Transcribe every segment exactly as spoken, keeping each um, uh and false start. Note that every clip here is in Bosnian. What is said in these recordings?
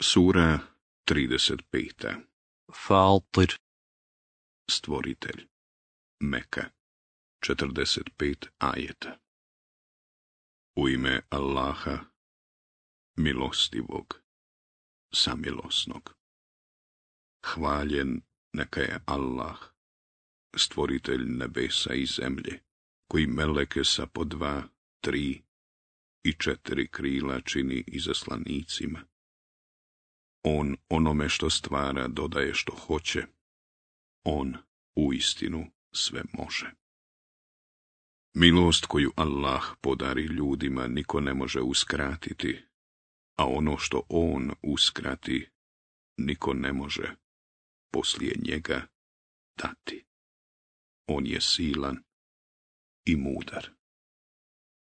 Sura trideset peta. Fatir. Stvoritelj. Meka. četrdeset pet ajeta. U ime Allaha, milostivog, samilosnog. Hvaljen neka je Allah, stvoritelj nebesa i zemlje, koji meleke sa po dva, tri i četiri krila čini izaslanicima. On onome što stvara dodaje što hoće. On uistinu sve može. Milost koju Allah podari ljudima niko ne može uskratiti, a ono što on uskrati niko ne može poslije njega dati. On je silan i mudar.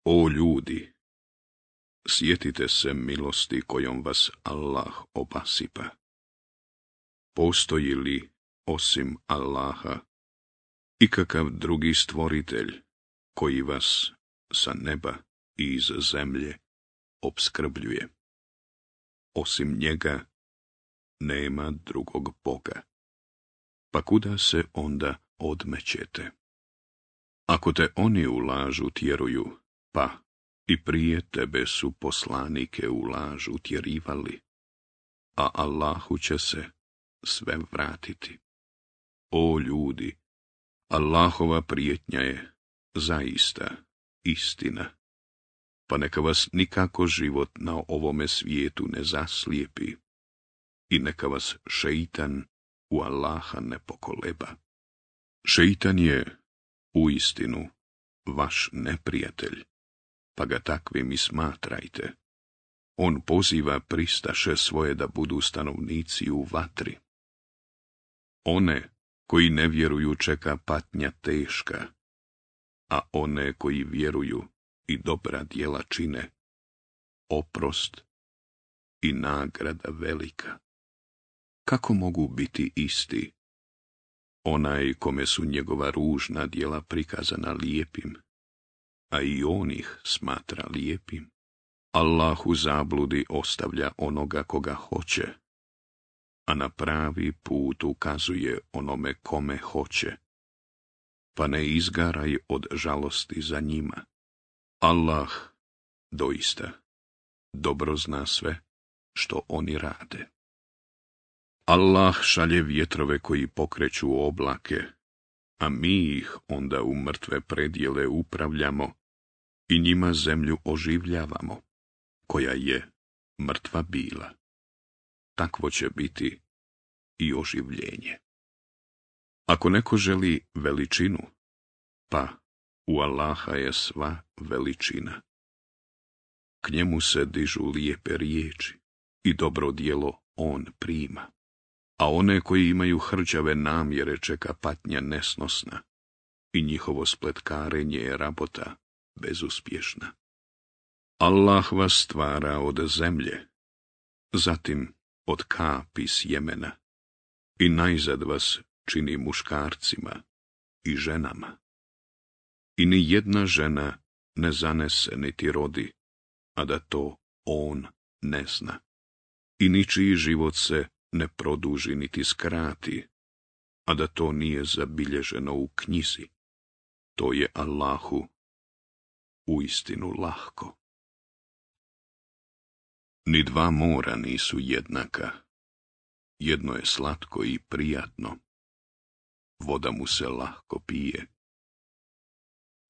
O ljudi, sjetite se milosti kojom vas Allah obasipa. Postoji li osim Allaha ikakav drugi stvoritelj koji vas sa neba i iz zemlje opskrbljuje? Osim njega nema drugog Boga. Pa kuda se onda odmećete? Ako te oni u lažu tjeruju, pa i prije tebe su poslanike u lažu tjerivali, a Allahu će se sve vratiti. O ljudi, Allahova prijetnja je zaista istina, pa neka vas nikako život na ovome svijetu ne zaslijepi i neka vas šeitan u Allaha ne pokoleba. Šeitan je uistinu vaš neprijatelj, pa ga takvim i smatrajte. On poziva pristaše svoje da budu stanovnici u vatri. One koji ne vjeruju čeka patnja teška, a one koji vjeruju i dobra djela čine, oprost i nagrada velika. Kako mogu biti isti onaj kome su njegova ružna djela prikazana lijepim, a i on ih smatra lijepim? Allah u zabludi ostavlja onoga koga hoće, a na pravi put ukazuje onome kome hoće, pa ne izgaraj od žalosti za njima. Allah doista dobro zna sve što oni rade. Allah šalje vjetrove koji pokreću oblake, a mi ih onda u mrtve predjele upravljamo i njima zemlju oživljavamo, koja je mrtva bila. Takvo će biti i oživljenje. Ako neko želi veličinu, pa u Allaha je sva veličina. K njemu se dižu lijepe riječi i dobro djelo on prima, a one koji imaju hrđave namjere čeka patnja nesnosna i njihovo spletkarenje je rabota bezuspješna. Allah vas stvara od zemlje, zatim od kapi sjemena i najzad vas čini muškarcima i ženama. I ni jedna žena ne zanese niti rodi, a da to on ne zna. I ničiji život se ne produži niti skrati, a da to nije zabilježeno u knjizi. To je Allahu uistinu lahko. Ni dva mora nisu jednaka. Jedno je slatko i prijatno. Voda mu se lahko pije.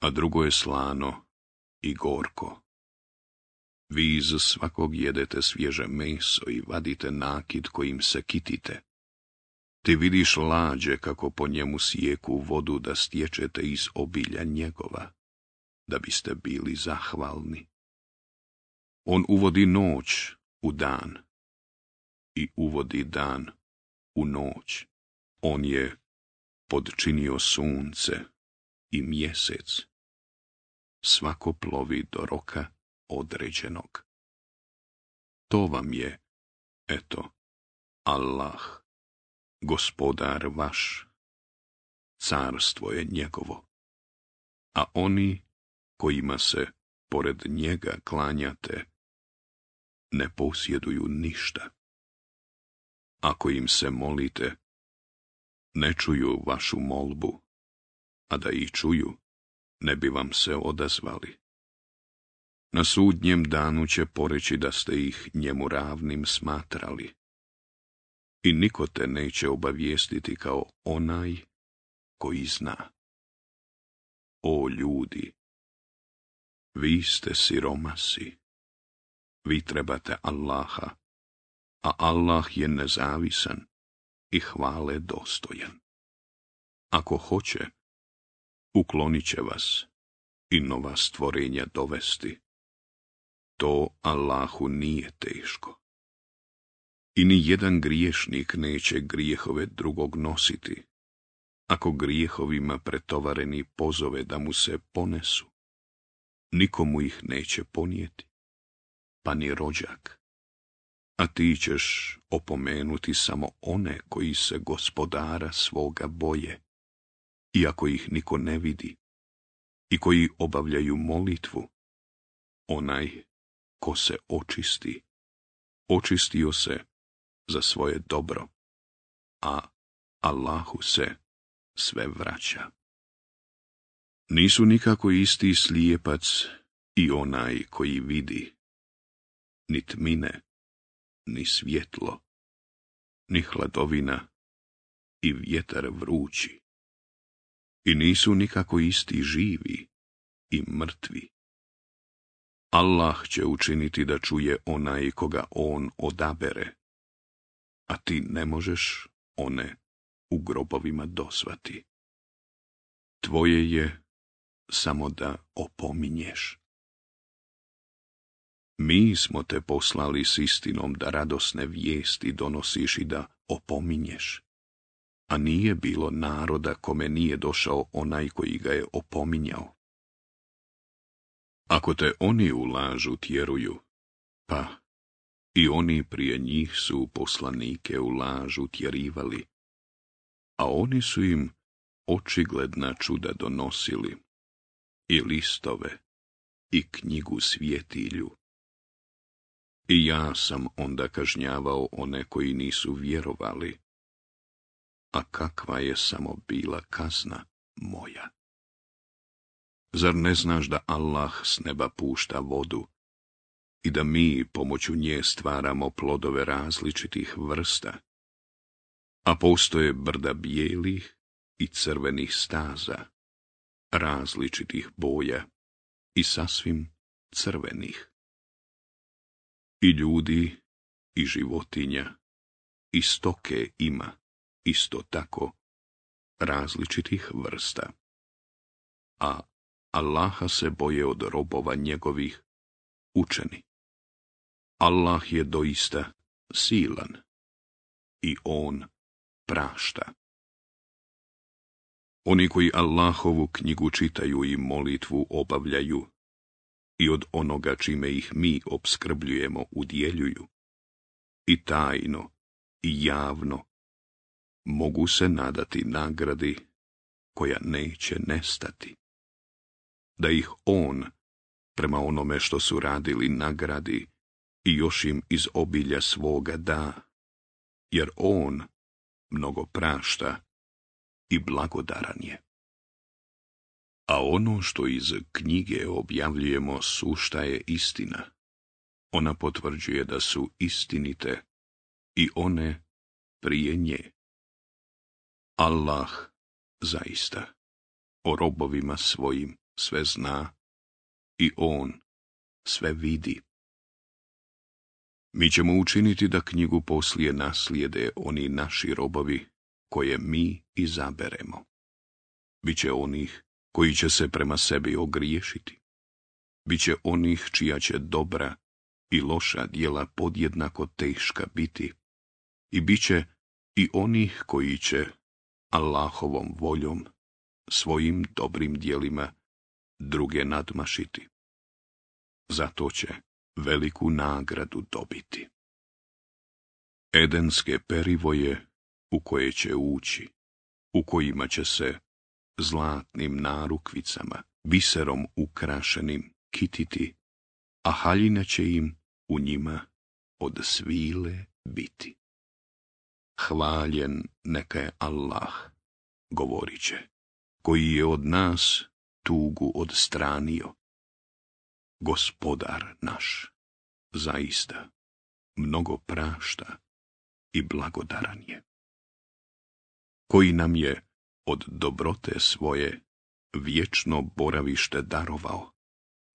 A drugo je slano i gorko. Vi iz svakog jedete svježe meso i vadite nakit kojim se kitite. Ti vidiš lađe kako po njemu sijeku vodu da stječete iz obilja njegova, da biste bili zahvalni. On uvodi noć u dan i uvodi dan u noć. On je podčinio sunce i mjesec. Svako plovi do roka određenog. To vam je, eto, Allah, gospodar vaš. Carstvo je njegovo. A oni kojima se pored njega klanjate, ne posjeduju ništa. ako im se molite, ne čuju vašu molbu, a da ih čuju, ne bi vam se odazvali. Na sudnjem danu će poreći da ste ih njemu ravnim smatrali. I niko te neće obavijestiti kao onaj koji zna. O ljudi, vi ste siromasi, vi trebate Allaha, a Allah je nezavisan i hvale dostojan. Ako hoće, uklonit će vas i nova stvorenja dovesti. To Allahu nije teško. I ni jedan griješnik neće grijehove drugog nositi, ako grijehovima pretovareni pozove da mu se ponesu. Nikomu ih neće ponijeti, pa ni rođak. A ti ćeš opomenuti samo one koji se gospodara svoga boje, iako ih niko ne vidi, i koji obavljaju molitvu. Onaj ko se očisti, očistio se za svoje dobro, a Allahu se sve vraća. Nisu nikako isti slijepac i onaj koji vidi, ni tmine, ni svjetlo, ni hladovina i vjetar vrući. I nisu nikako isti živi i mrtvi. Allah će učiniti da čuje onaj koga on odabere, a ti ne možeš one u grobovima dosvati. Tvoje je samo da opominješ. Mi smo te poslali s istinom da radosne vijesti donosiš i da opominješ, a nije bilo naroda kome nije došao onaj koji ga je opominjao. Ako te oni u lažu tjeruju, pa i oni prije njih su poslanike u lažu tjerivali, a oni su im očigledna čuda donosili, i listove, i knjigu svjetilju. I ja sam onda kažnjavao one koji nisu vjerovali, a kakva je samo bila kazna moja. Zar ne znaš da Allah s neba pušta vodu i da mi pomoću nje stvaramo plodove različitih vrsta, a postoje brda bijelih i crvenih staza, različitih boja i sasvim crvenih. I ljudi, i životinja, i stoke ima, isto tako, različitih vrsta. A Allaha se boje od robova njegovih učeni. Allah je doista silan i on prašta. Oni koji Allahovu knjigu čitaju i molitvu obavljaju i od onoga čime ih mi opskrbljujemo udjeljuju, i tajno i javno, mogu se nadati nagradi koja neće nestati. Da ih on, prema onome što su radili, nagradi i još im iz obilja svoga da, jer on mnogo prašta i blagodaran je. A ono što iz knjige objavljujemo sušta je istina. Ona potvrđuje da su istinite i one prije nje. Allah zaista o robovima svojim sve zna i on sve vidi. Mi ćemo učiniti da knjigu poslije naslijede oni naši robovi koje mi izaberemo. Biće onih koji će se prema sebi ogriješiti. Biće onih čija će dobra i loša djela podjednako teška biti. I biće i onih koji će Allahovom voljom, svojim dobrim djelima, druge nadmašiti. Zato će veliku nagradu dobiti. Edenske perivoje u koje će ući, u kojima će se zlatnim narukvicama, biserom ukrašenim kititi, a haljina će im u njima od svile biti. hvaljen neka je Allah, govorit će, koji je od nas tugu odstranio. Gospodar naš, zaista, mnogo prašta i blagodaran je, koji nam je od dobrote svoje vječno boravište darovao,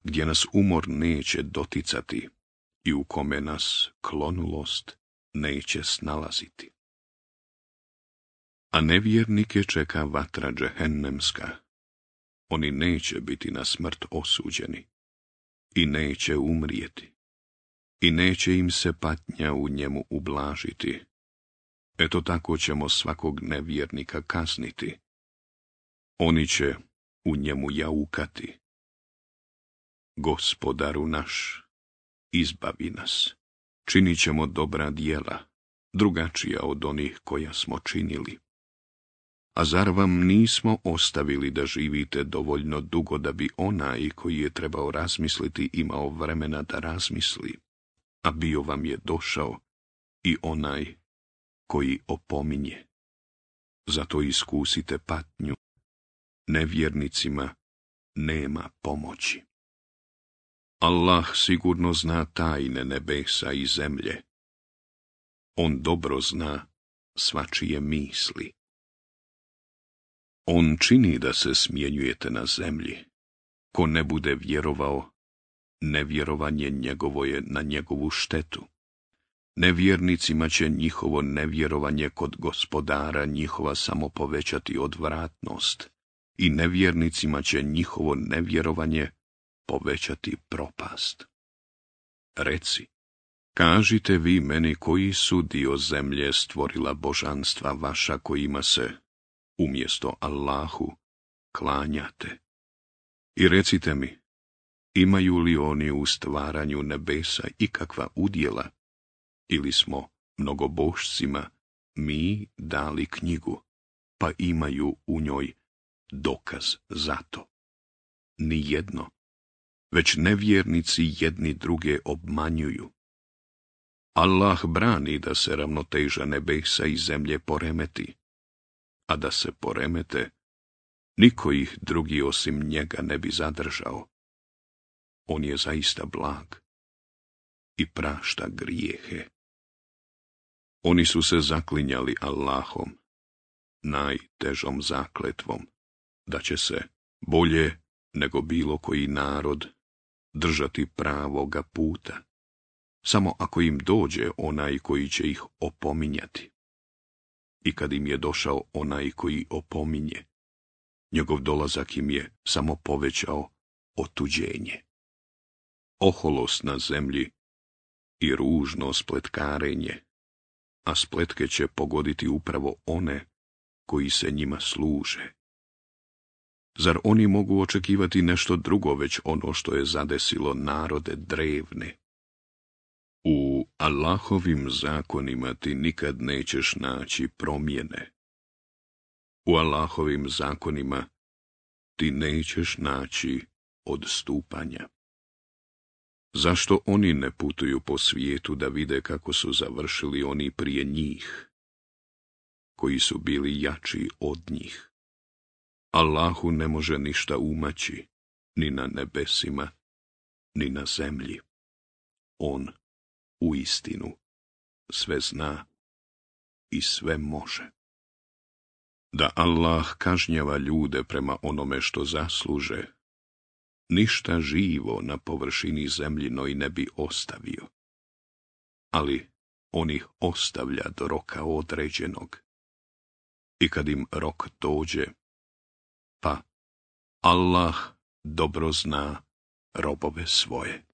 gdje nas umor neće doticati i u kome nas klonulost neće snalaziti. A nevjernike čeka vatra džehennemska, oni neće biti na smrt osuđeni i neće umrijeti i neće im se patnja u njemu ublažiti. Eto tako ćemo svakog nevjernika kazniti. Oni će u njemu jaukati. Gospodaru naš, izbavi nas, činit ćemo dobra djela, drugačija od onih koja smo činili. A zar vam nismo ostavili da živite dovoljno dugo da bi onaj koji je trebao razmisliti imao vremena da razmisli, a bio vam je došao i onaj koji opominje. Zato iskusite patnju, nevjernicima nema pomoći. Allah sigurno zna tajne nebesa i zemlje. On dobro zna svačije misli. On čini da se smjenjujete na zemlji. Ko ne bude vjerovao, nevjerovanje njegovo je na njegovu štetu. Nevjernicima će njihovo nevjerovanje kod gospodara njihova samo povećati odvratnost i nevjernicima će njihovo nevjerovanje povećati propast. Reci, kažite vi meni koji su dio zemlje stvorila božanstva vaša kojima se, umjesto Allahu, klanjate. I recite mi, imaju li oni u stvaranju nebesa ikakva udjela, ili smo mnogobošcima mi dali knjigu, pa imaju u njoj dokaz za to? Nijedno, već nevjernici jedni druge obmanjuju. Allah brani da se ravnoteža nebesa i zemlje poremeti, a da se poremete, niko ih drugi osim njega ne bi zadržao. On je zaista blag i prašta grijehe. Oni su se zaklinjali Allahom, najtežom zakletvom, da će se bolje nego bilo koji narod držati pravoga puta, samo ako im dođe onaj koji će ih opominjati. I kad im je došao onaj koji opominje, njegov dolazak im je samo povećao otuđenje. Oholost na zemlji i ružno spletkarenje, a spletke će pogoditi upravo one koji se njima služe. Zar oni mogu očekivati nešto drugo već ono što je zadesilo narode drevne? U Allahovim zakonima ti nikad nećeš naći promjene. U Allahovim zakonima ti nećeš naći odstupanja. Zašto oni ne putuju po svijetu da vide kako su završili oni prije njih, koji su bili jači od njih? Allahu ne može ništa umaći, ni na nebesima, ni na zemlji. On uistinu sve zna i sve može. Da Allah kažnjava ljude prema onome što zasluže, ništa živo na površini zemljinoj ne bi ostavio. Ali on ih ostavlja do roka određenog. I kad im rok dođe, pa Allah dobro zna robove svoje.